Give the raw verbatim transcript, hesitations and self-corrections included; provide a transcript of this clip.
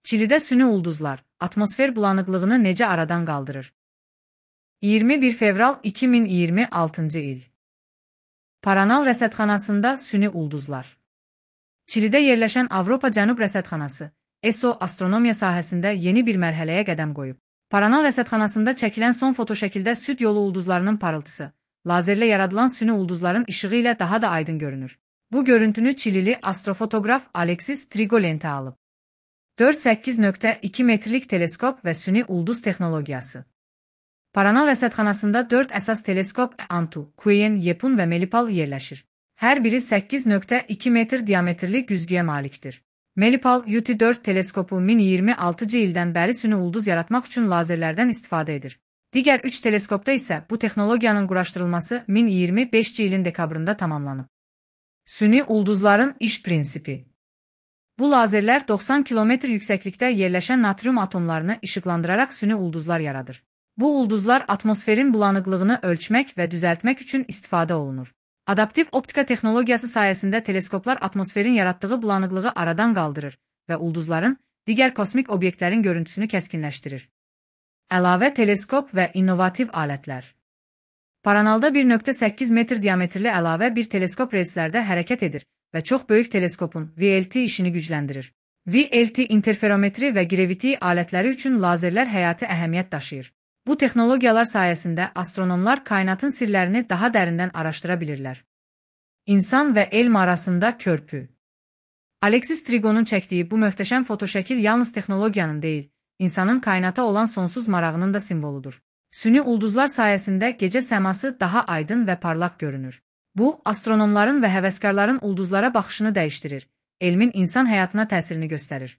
Çilidə süni ulduzlar atmosfer bulanıqlığını necə aradan qaldırır? iyirmi bir fevral iki min iyirmi altıncı il. Paranal rəsədxanasında süni ulduzlar. Çilidə yerləşən Avropa Cənub Rəsədxanası, E S O astronomiya sahəsində yeni bir mərhələyə qədəm qoyub. Paranal rəsədxanasında çəkilən son fotoşəkildə süd yolu ulduzlarının parıltısı, lazerlə yaradılan süni ulduzların işığı ilə daha da aydın görünür. Bu görüntünü Çilili astrofotoqraf Alexis Trigolente alıb. dörd səkkiz nöqtə iki metrlik teleskop və süni ulduz texnologiyası. Paranal rəsədxanasında dörd əsas teleskop Antu, Kuyen, Yepun və Melipal yerləşir. Hər biri səkkiz nöqtə iki metr diametrli güzgüyə malikdir. Melipal U T dörd teleskopu min iyirmi altıncı ildən bəri süni ulduz yaratmaq üçün lazerlərdən istifadə edir. Digər üç teleskopda isə bu texnologiyanın quraşdırılması min iyirmi beşinci ilin dekabrında tamamlanıb. Süni ulduzların iş prinsipi. Bu lazerlər doxsan kilometr yüksəklikdə yerləşən natrium atomlarını işıqlandıraraq süni ulduzlar yaradır. Bu ulduzlar atmosferin bulanıqlığını ölçmək və düzəltmək üçün istifadə olunur. Adaptiv optika texnologiyası sayəsində teleskoplar atmosferin yaratdığı bulanıqlığı aradan qaldırır və ulduzların, digər kosmik obyektlərin görüntüsünü kəskinləşdirir. Əlavə teleskop və innovativ alətlər. Paranalda bir nöqtə səkkiz metr diametrli əlavə bir teleskop relslərdə hərəkət edir və çox böyük teleskopun V L T işini gücləndirir. V L T interferometri və graviti alətləri üçün lazerlər həyati əhəmiyyət daşıyır. Bu texnologiyalar sayəsində astronomlar kainatın sirlərini daha dərindən araşdıra bilirlər. İnsan və elm arasında körpü. Alexis Trigonun çəkdiyi bu möhtəşəm fotoşəkil yalnız texnologiyanın deyil, insanın kainata olan sonsuz marağının da simvoludur. Süni ulduzlar sayəsində gecə səması daha aydın və parlaq görünür. Bu, astronomların və həvəskarların ulduzlara baxışını dəyişdirir, elmin insan həyatına təsirini göstərir.